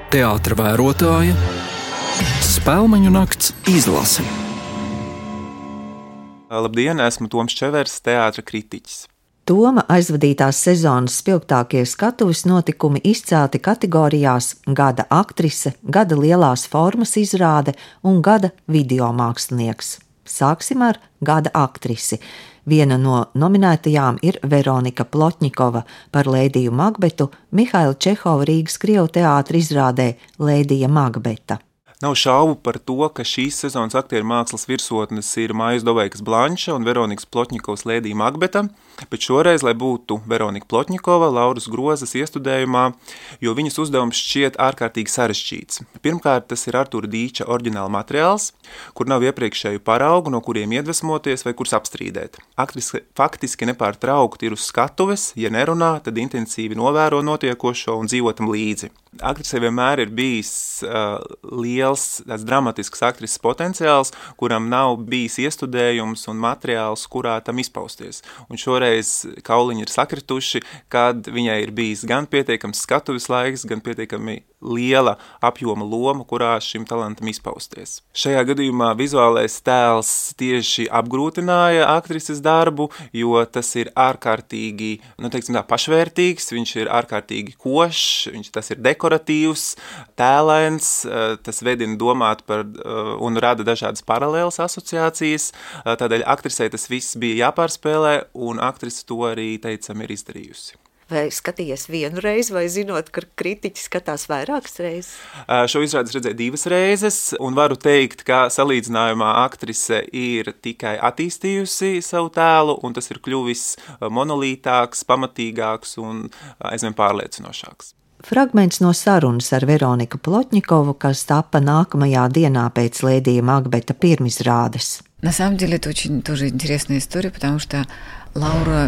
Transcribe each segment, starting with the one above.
teātra vērotāja, Spēlmeņu nakts izlase. Labdien, esmu Toms Čevers, teātra kritiķis. Toma aizvadītās sezonas spilgtākie skatuves notikumi izcelti kategorijās Gada aktrise, Gada lielās formas izrāde un Gada videomākslinieks. Sāksim ar Gada aktrisi. Viena no nominētajām ir Veronika Plotņikova par Lēdiju Makbetu Mihaila Čehova Rīgas Krievu teātra izrādē Lēdija Makbeta. Nav šaubu par to, ka šīs sezonas aktieru mākslas virsotnes ir Maijas Doveikas Blanša un Veronikas Plotņikovas Lēdija Makbeta, bet šoreiz, lai būtu Veronika Plotņikova, Lauras Grozas iestudējumā, jo viņas uzdevums šķiet ārkārtīgi sarežģīts. Pirmkārt, tas ir Artūra Dīča oriģināla materiāls, kur nav iepriekšēju paraugu, no kuriem iedvesmoties vai kurus apstrīdēt. Aktrise faktiski nepārtraukti ir uz skatuves, ja nerunā, tad intensīvi novēro notiekošo un dzīvo tam līdzi. Aktrise vienmēr ir bijis liels, tāds dramatisks aktrises potenciāls, kuram nav bijis iestudējums un materiāls, kurā tam izpausties. Un šoreiz kauliņi ir sakrituši, kad viņai ir bijis gan pietiekams skatuves laiks, gan pietiekami liela apjoma loma, kurā šim talantam izpausties. Šajā gadījumā vizuālais tēls tieši apgrūtināja aktrises darbu, jo tas ir ārkārtīgi, pašvērtīgs, viņš ir ārkārtīgi košs, tas ir dekoratīvs, tēlains, tas vedina domāt par un rada dažādas paralēlas asociācijas, tādēļ aktrisei tas viss bija jāpārspēlē, un aktrise to arī, teicam, ir izdarījusi. Vai skatījies vienu reizi, vai zinot, ka kritiķi skatās vairākas reizes? Šo izrādes redzēju 2 reizes, un varu teikt, ka salīdzinājumā aktrise ir tikai attīstījusi savu tēlu, un tas ir kļuvis monolītāks, pamatīgāks un aizvien pārliecinošāks. Fragments no sarunas ar Veroniku Plotņikovu, kas tapa nākamajā dienā pēc Lēdija Makbeta pirmizrādes. На самом деле это очень тоже интересная история, потому что Laura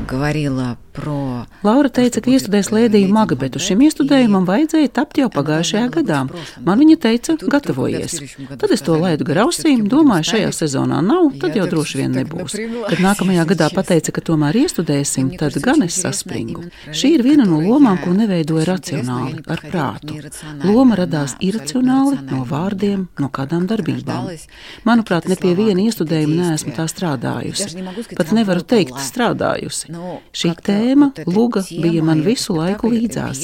teica, ka iestudēs Lēdiju Makbetu. Šim iestudējumam vajadzēja tapt jau pagājušajā gadā. Man viņa teica, gatavojies. Tad es to laidu gar ausīm, domāju, šajā sezonā nav, tad jau droši vien nebūs. Kad nākamajā gadā pateica, ka tomēr iestudēsim, tad gan es saspringu. Šī ir viena no lomām, ko neveidoja racionāli, ar prātu. Loma radās iracionāli, no vārdiem, no kādām darbībām. Manuprāt, ne pie viena iestudējuma neesmu tā strādājusi. Pat nevaru teikt strādājusi. Šī tēma, luga, bija man visu laiku līdzās.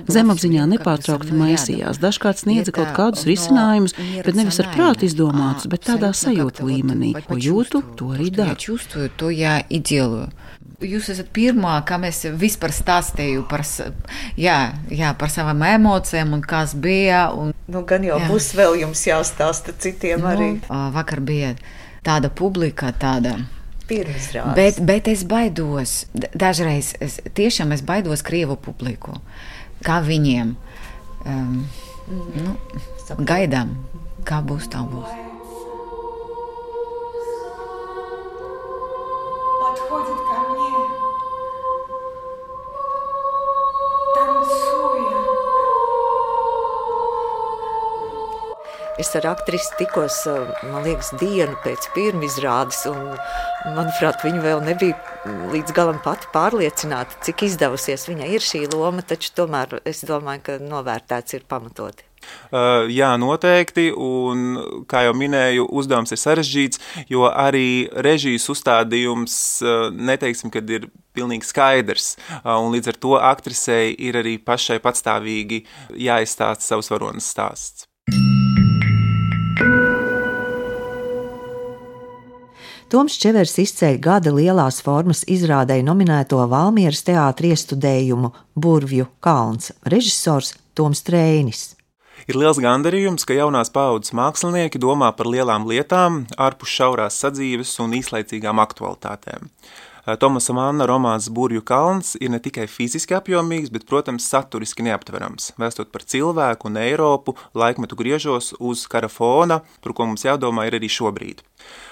Zemapziņā nepārtraukti maisījās. Dažkārt sniedza kaut kādus risinājumus, bet nevis ar prātu izdomātus, bet tādā sajūta līmenī. Ko jūtu, to arī daru. Jūs esat pirmā, kam es vispār stāstīju par savām emocijām un kas bija. Gan jau būs vēl jums jāstāsta citiem arī. Vakar bija tāda publika, tāda. Bet es baidos, dažreiz tiešām es baidos Krievu publiku, kā viņiem gaidām, kā būs tā būs. Es ar aktrisi tikos, man liekas, dienu pēc pirmizrādes, un, manuprāt, viņa vēl nebija līdz galam pati pārliecināta, cik izdevusies viņai ir šī loma, taču tomēr es domāju, ka novērtēts ir pamatoti. Jā, noteikti, un, kā jau minēju, uzdevums ir sarežģīts, jo arī režijas uzstādījums, neteiksim, kad ir pilnīgi skaidrs, un līdz ar to aktrisei ir arī pašai patstāvīgi jāizstāsta savs varonas stāsts. Toms Čevers izceļ Gada lielās formas izrādei nominēto Valmieras teātra iestudējumu Burvju kalns, režisors Toms Treinis. Ir liels gandarījums, ka jaunās paaudzes mākslinieki domā par lielām lietām, ārpus šaurās sadzīves un īslaicīgām aktualitātēm. Tomasa Manna romāns Burvju kalns ir ne tikai fiziski apjomīgs, bet, protams, saturiski neaptverams, vēstot par cilvēku un Eiropu laikmetu griežos uz kara fona, par ko mums jādomā ir arī šobrīd.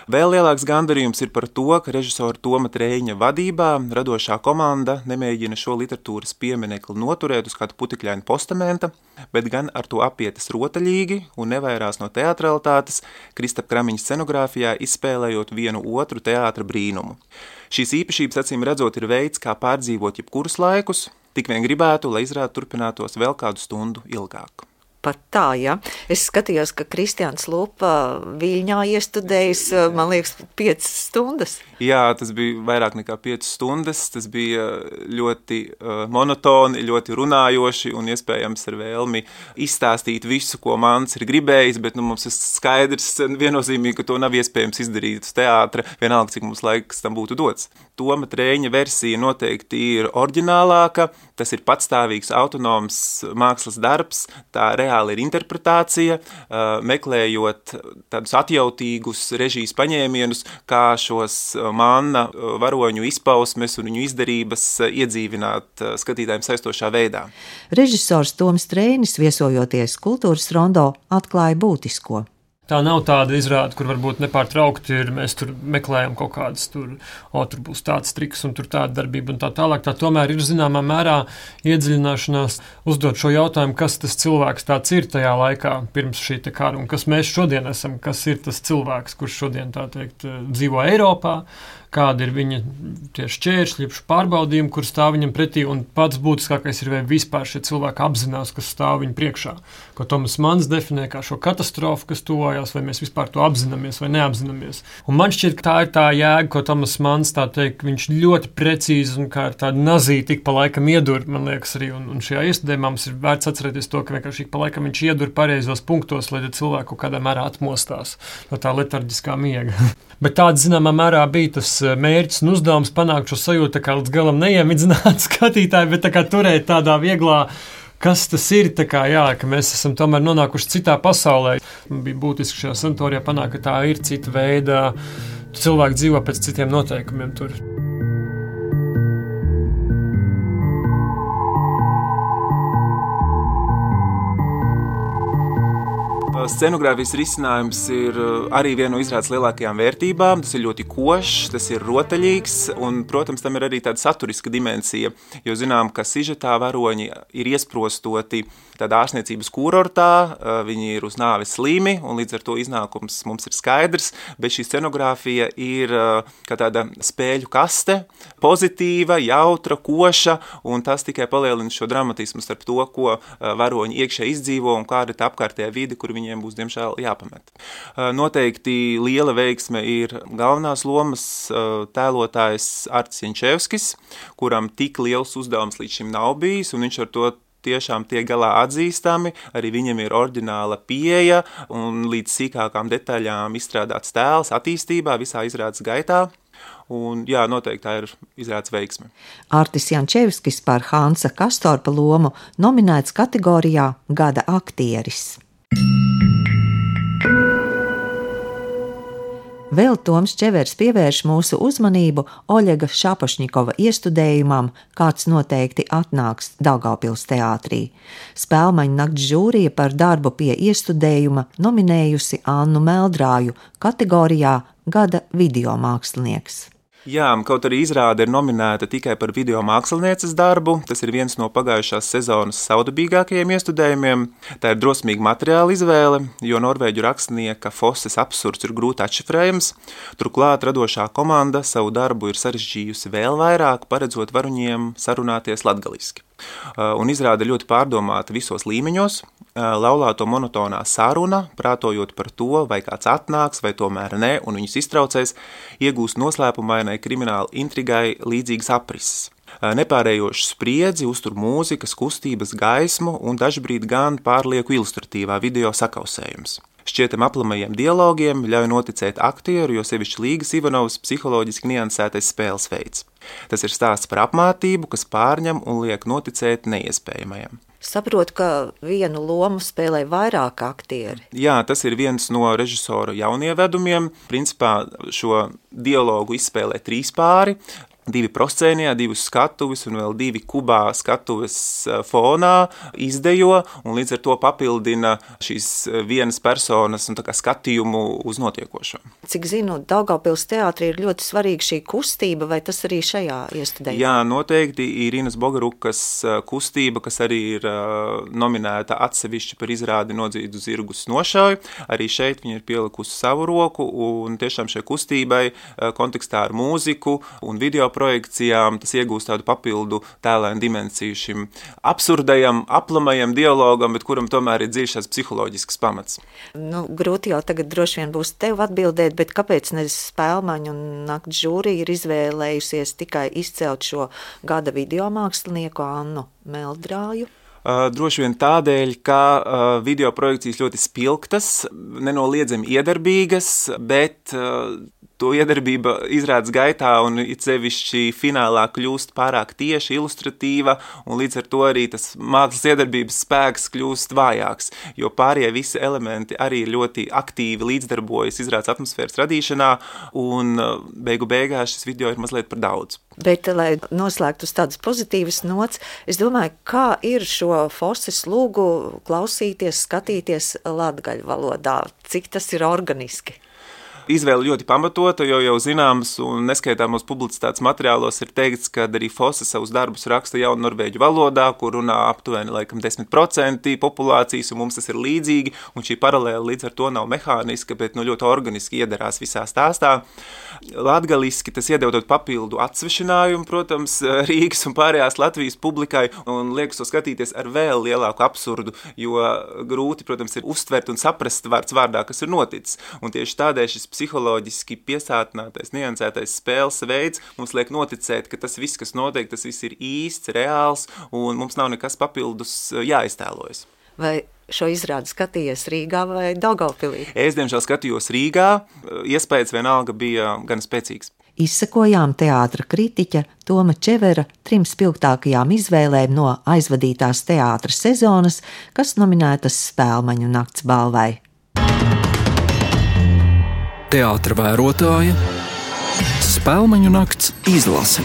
Vēl lielāks gandarījums ir par to, ka režisora Toma Treiņa vadībā radošā komanda nemēģina šo literatūras pieminekli noturēt uz kādu putekļainu postamenta, bet gan ar to apietas rotaļīgi un nevairās no teatralitātes, Kristapa Kramiņa scenogrāfijā izspēlējot vienu otru teātra brīnumu. Šīs īpašības, acīm redzot, ir veids, kā pārdzīvot jebkurus laikus, tik vien gribētu, lai izrāde turpinātos vēl kādu stundu ilgāk. pat tā, ja? Es skatījos, ka Kristiāns Lupa Viļņā iestudējis, man liekas, 5 stundas. Jā, tas bija vairāk nekā 5 stundas, tas bija ļoti monotoni, ļoti runājoši un iespējams ar vēlmi izstāstīt visu, ko Mans ir gribējis, bet mums ir skaidrs viennozīmīgi, ka to nav iespējams izdarīt uz teātra, vienalga, cik mums laiks tam būtu dots. Toma Trēņa versija noteikti ir oriģinālāka, tas ir patstāvīgs, autonoms mākslas darbs, tā reāli ir interpretācija, meklējot tādus atjautīgus režijas paņēmienus, kā šos Manna varoņu izpausmes un viņu izdarības iedzīvināt skatītājiem saistošā veidā. Režisors Toms Trēnis, viesojoties Kultūras rondo, atklāja būtisko. Tā nav tāda izrāde, kur varbūt nepārtraukti ir, mēs tur meklējam kaut kādas tur būs tāds triks un tur tāda darbība un tā tālāk. Tā tomēr ir zināmā mērā iedziļināšanās uzdot šo jautājumu, kas tas cilvēks tāds ir tajā laikā pirms šī te kara un kas mēs šodien esam, kas ir tas cilvēks, kurš šodien tā teikt dzīvo Eiropā, kāda ir viņa tie šķēršļi, pārbaudījumi, kur stāv viņam pretī, un pats būtiskākais ir, vai vispār šie cilvēki apzinās, kas stāv viņu priekšā. Ko Tomas Mans definē kā šo katastrofu, kas tuvojās, vai mēs vispār to apzināmies vai neapzināmies. Un man šķiet, ka tā ir tā jēga, ko Tomas Mans, tā teikt, viņš ļoti precīzi un kā ar tādu nazīti tik pa laikam iedur, man liekas arī, un šajā iestudējumā mums ir vērts atcerēties to, ka vienkārši pa laikam viņš iedur pareizos punktos, lai cilvēku kaut kādā mērā atmostās no tā letarģiskā miega. Bet tāda, zināmā mērā, bija tas mērķis un uzdevums panākt šo sajūtu, kā līdz galam neiemidzināt skatītāju, bet tā kā turēt tādā vieglā, kas tas ir, tā kā, jā, ka mēs esam tomēr nonākuši citā pasaulē. Bija būtiski šajā sanatorijā panākt, ka tā ir cita veida, cilvēki dzīvo pēc citiem noteikumiem tur. Scenogrāfijas risinājums ir arī viena no izrādes lielākajām vērtībām. Tas ir ļoti košs, tas ir rotaļīgs, un, protams, tam ir arī tāda saturiska dimensija, jo zinām, ka sižetā varoņi ir iesprostoti tādā ārstniecības kurortā, viņi ir uz nāves slimi, un līdz ar to iznākums mums ir skaidrs, bet šī scenogrāfija ir kā tāda spēļu kaste, pozitīva, jautra, koša, un tas tikai palielina šo dramatismu starp to, ko varoņi iekšē izdzīvo un kāda ir tā apkārtējā vide, kur viņiem būs, diemžēl, jāpamet. Noteikti liela veiksme ir galvenās lomas tēlotājs Artis Jančevskis, kuram tik liels uzdevums līdz šim nav bijis, un viņš ar to tiešām tiek galā atzīstami, arī viņam ir oriģināla pieeja un līdz sīkākām detaļām izstrādāts tēls attīstībā visā izrādes gaitā. Un, jā, noteikti tā ir izrādes veiksme. Artis Jančevskis par Hansa Kastorpa lomu nominēts kategorijā Gada aktieris. Vēl Toms Čevers pievērš mūsu uzmanību Oļega Šapošņikova iestudējumam, kāds noteikti atnāks Daugavpils teātrī. Spēlmaņu nakts žūrija par darbu pie iestudējuma nominējusi Annu Meldrāju kategorijā Gada videomākslinieks. Jā, kaut arī izrāde ir nominēta tikai par video mākslinieces darbu, tas ir viens no pagājušās sezonas saudabīgākajiem iestudējumiem. Tā ir drosmīga materiāla izvēle, jo norvēģu rakstnieka Fosses absurds ir grūti atšifrējams. Turklāt radošā komanda savu darbu ir sarežģījusi vēl vairāk, paredzot varoņiem sarunāties latgaliski. Un izrāde ļoti pārdomāta visos līmeņos, laulāto monotonā saruna, prātojot par to, vai kāds atnāks, vai tomēr ne, un viņus iztraucēs, iegūst noslēpumainai krimināla intrigai līdzīgas aprises. Nepārējošu spriedzi uztur mūzikas, kustības, gaismu un dažbrīd gan pārlieku ilustratīvā video sakausējums. Šķietam aplamajiem dialogiem ļauj noticēt aktieru, jo sevišķi Līgas Ivanovas psiholoģiski niansētais spēles veids. Tas ir stāsts par apmātību, kas pārņem un liek noticēt neiespējamajam. Saprotu, ka vienu lomu spēlē vairāk aktieri. Jā, tas ir viens no režisora jaunievedumiem. Principā šo dialogu izspēlē 3 pāri. 2 proscēnijā, 2 skatuves un vēl 2 kubā skatuves fonā izdejo, un līdz ar to papildina šīs vienas personas un tā kā skatījumu uz notiekošo. Cik zinu, Daugavpils teātrī ir ļoti svarīga šī kustība, vai tas arī šajā iestudējumā? Jā, noteikti Irinas Bogarukas kustība, kas arī ir nominēta atsevišķi par izrādi Nodzītu zirgus nošauju. Arī šeit viņa ir pielikusi savu roku, un tiešām šai kustībai kontekstā ar mūziku un video projekcijām tas iegūst tādu papildu tēlēnu dimensiju šim absurdajam, aplamajam dialogam, bet kuram tomēr ir dziļš tās psiholoģisks pamats. Grūti jau tagad droši vien būs tev atbildēt, bet kāpēc Spēlmaņu un nakts žūrija ir izvēlējusies tikai izcelt šo gada videomākslinieku Annu Meldrāju? Droši vien tādēļ, ka video projekcijas ļoti spilgtas, nenoliedzami iedarbīgas, bet to iedarbība izrādes gaitā un it sevišķi finālā kļūst pārāk tieši, ilustratīva, un līdz ar to arī tas mākslas iedarbības spēks kļūst vājāks, jo pārējie visi elementi arī ļoti aktīvi līdzdarbojas izrādes atmosfēras radīšanā, un beigu beigās šis video ir mazliet par daudz. Bet, lai noslēgtu uz tādas pozitīvas nots, es domāju, kā ir šo Forses lūgu klausīties, skatīties latgaļu valodā, cik tas ir organiski. Izvēle ļoti pamatota, jo jau zināms un neskaitāmos publicitātes materiālos ir teikts, ka arī Fosse savus darbus raksta jaunu norvēģu valodā, kur runā aptuveni 10% populācijas, un mums tas ir līdzīgi, un šī paralēla līdz ar to nav mehāniska, bet ļoti organiski iedarās visā stāstā. Latgaliski tas iedod papildu atsvešinājumu, protams, Rīgas un pārējās Latvijas publikai, un liekas to skatīties ar vēl lielāku absurdu, jo grūti, protams, ir uztvert un saprast vārds vārdā, kas ir noticis. Un tieši tādēļ šis psiholoģiski piesātinātais, niansētais spēles veids mums liek noticēt, ka tas viss, kas notiek, tas viss ir īsts, reāls, un mums nav nekas papildus jāiztēlojas. Vai šo izrādi skatījies Rīgā vai Daugavpilī? Es, diemžēl, skatījos Rīgā, iespējas vienalga bija gan spēcīgs. Izsekojām teātra kritiķa Toma Čevera 3 spilgtākajām izvēlēm no aizvadītās teātra sezonas, kas nominētas Spēlmaņu nakts balvai. Teātra vērotāja Spēlmaņu nakts izlase.